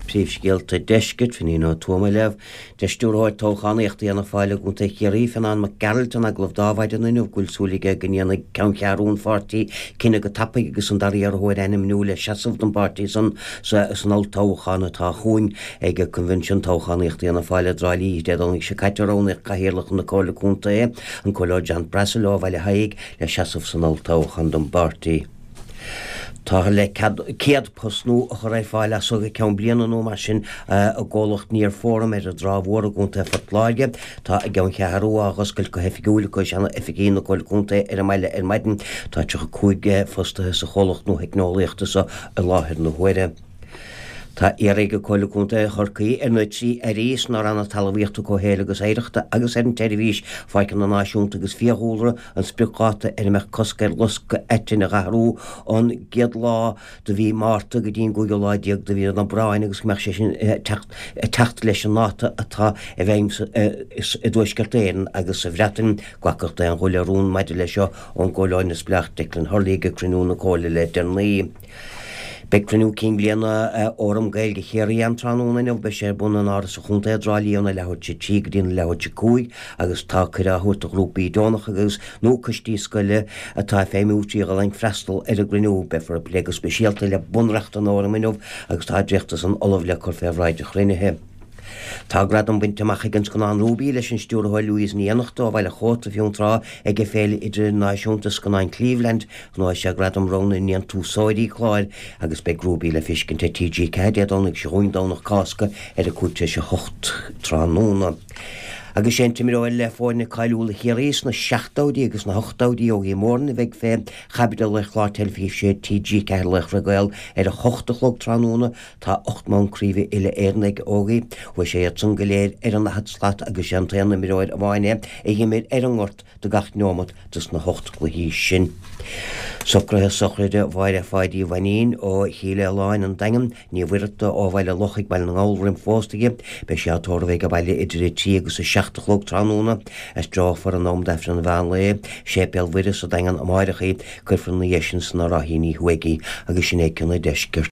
Príomhscéalta Deiscirt, Finín Ó Tuama ag léamh. Deir Stiúrthóir Toghchánaíochta Fhianna Fáil i gContae Chiarraí, Fionán Mac Gearailt, in agallamh dó ar maidin inniu go bhfuil súil aige go ndéanfaidh ceanncheathrú an pháirtí cinneadh go tapaidh agus an dara iarrthóir a ainmniú le seasamh don bpáirtí san san olltoghchán atá chugainn. Ag Coinbhinsiún Toghchánaíochta Fhianna Fáil i dTrá Lí Dé Domhnaigh seo caite roghnaíodh Cathaoirleach na Comhairle Contae, an Comhairleoir John Brassil ó Bhaile Thaidhg, le seasamh san olltoghchán don bpáirtí. Táthar le 100 post nua a chur ar fáil as so go ceann bliana nó mar sin i gcomhlacht Near Forum ar an Trá Mhór i gContae Phort Láirge. Tá a gceanncheathrú á dh'oscailt go hoifigiúil acu i seana-oifigí na Comhairle Contae ar an mbaile ar maidin. Tá 35 fostaithe sa chomhlacht nua theicneolaíochta so i láthair na huaire. Tá iarrtha ag Comhairle Contae Chorcaí ar na 3 Airí sna Ranna Talmhaíochta, Comhshaoil agus Oidhreachta agus ar an tSeirbhís Pháirceanna Náisiúnta agus Fiadhúlra an spriocdháta ar a mbeadh cosc ar loscadh aitinn a dh'athrú ón gcéad lá de mhí Márta go dtí an gcúigiú lá déag de mhí an Aibreáin agus go mbeadh sé sin ag teacht leis an ndáta atá i bhfeidhm i dTuaisceart Éireann agus sa Bhreatain. Glacadh d'aon ghuth le rún maidir leis seo ón gComhairleoir Neamhspleách Declan Hurley ag cruinniú na Comhairle le deireanaí. Beidh cruinniú cinn bliana Fhóram Gaeilge Chiarraí ann tráthnóna inniu. Beidh sé ar bun in Áras an Chontae i dTrá Lí óna leathuair tar éis a 3 go dtí na leathuair tar éis a 5 agus tá cuireadh á thabhairt do ghrúpaí deonacha agus nó coistí scoile atá ag feidhmiú trí Ghaelainn freastal ar an gcruinniú. Beifear ag plé go speisialta le bunreacht an Fhóraim inniu agus tá dréacht de san ullamh le cur fé bhráid an chruinnithe. Tá gradam bainte amach ag an scannán Ruby leis an stiúrthóir Louise Ní Fhiannachta ó Bhaile Chóta, Fionntrá, ag Féile Idirnáisiúnta Scannán Cleveland. Ghnóthaigh sé gradam rogha na ndéantúsóirí cláir agus beidh Ruby le feiscint ar TG4 Dé Domhnaigh seo chugainn, Domhnach Cásca, ar a 7:25 tráthnóna. Agus sé an t-imreoir le foirne cáiliúla Chiarraí sna seachtóidí agus sna hochtóidí, Ógie Moran, a bheidh fé chaibidil ar chlár teilifíse TG4 Laochra Gael ar a hocht a chlog tráthnóna. Tá 8 mbonn craoibhe uile-Éireann ag Ógie. Bhuaigh sé iad san go léir ar an ndaichead slat agus is é an t-aon imreoir amháin é a dh'imir ar an ngort do gach neomat dos na hocht gcluichí sin. Socruithe sochraide Mháire Pháidí Mhainín ó Chill Fhaoláin, An Daingean, Ní Mhuircheartaigh ó Bhaile Lochaigh, Baile na nGall roimh phósta di. Beidh sí á tórramh ag an bhaile idir 3 agus 7 a chlog tráthnóna. Aistreofar in am d'Aifreann an mheán lae, Séipéal Mhuire sa Daingean amáireach í. Cuirfear ina dhiaidh sin sna Ráithíní Thuaidh í agus sin é cionn an deiscirt.